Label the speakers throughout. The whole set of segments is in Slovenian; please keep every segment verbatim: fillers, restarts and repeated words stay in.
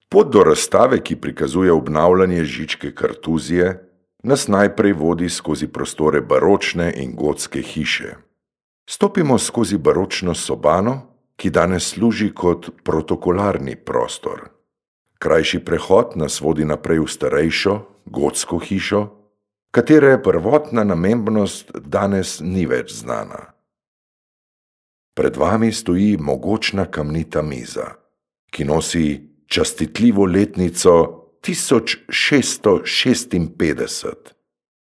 Speaker 1: Pot do razstave, ki prikazuje obnavljanje Žičke kartuzije, nas najprej vodi skozi prostore baročne in gotske hiše. Stopimo skozi baročno sobano, ki danes služi kot protokolarni prostor. Krajši prehod nas vodi naprej v starejšo, gotsko hišo, katere prvotna namembnost danes ni več znana. Pred vami stoji mogočna kamnita miza, ki nosi častitljivo letnico tisoč šeststo šestinpetdeset.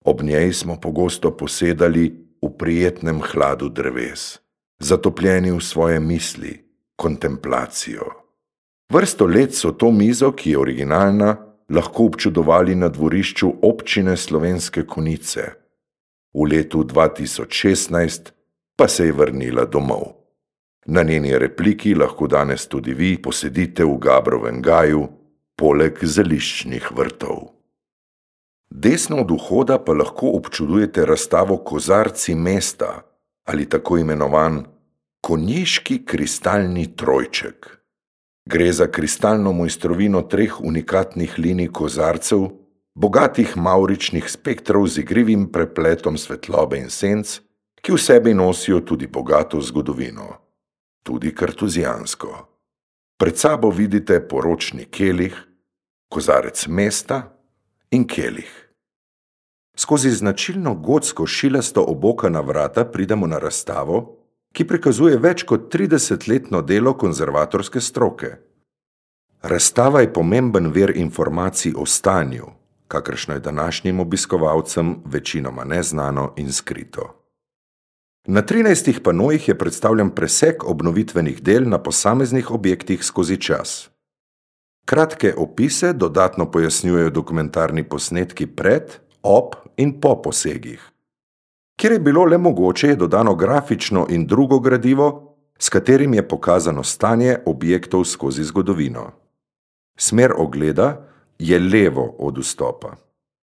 Speaker 1: Ob njej smo pogosto posedali v prijetnem hladu dreves, zatopljeni v svoje misli, kontemplacijo. Vrsto let so to mizo, ki je originalna, lahko občudovali na dvorišču občine Slovenske Konjice. V letu dva tisoč šestnajst pa se je vrnila domov. Na njeni repliki lahko danes tudi vi posedite v Gabrovem gaju, poleg zeliščnih vrtov. Desno od vhoda pa lahko občudujete razstavo Kozarci mesta ali tako imenovan konjiški kristalni trojček. Gre za kristalno mojstrovino treh unikatnih linij kozarcev, bogatih mavričnih spektrov z igrivim prepletom svetlobe in senc, ki v sebi nosijo tudi bogato zgodovino, tudi kartuzijansko. Pred sabo vidite poročni kelih, kozarec mesta in kelih. Skozi značilno gotsko šilasto obokana vrata pridemo na razstavo, ki prikazuje več kot tridesetletno delo konzervatorske stroke. Razstava je pomemben vir informacij o stanju, kakršno je današnjim obiskovalcem večinoma neznano in skrito. Na trinajstih panojih je predstavljen presek obnovitvenih del na posameznih objektih skozi čas. Kratke opise dodatno pojasnjujejo dokumentarni posnetki pred, ob in po posegih. Kjer je bilo le mogoče, je dodano grafično in drugo gradivo, s katerim je pokazano stanje objektov skozi zgodovino. Smer ogleda je levo od vstopa.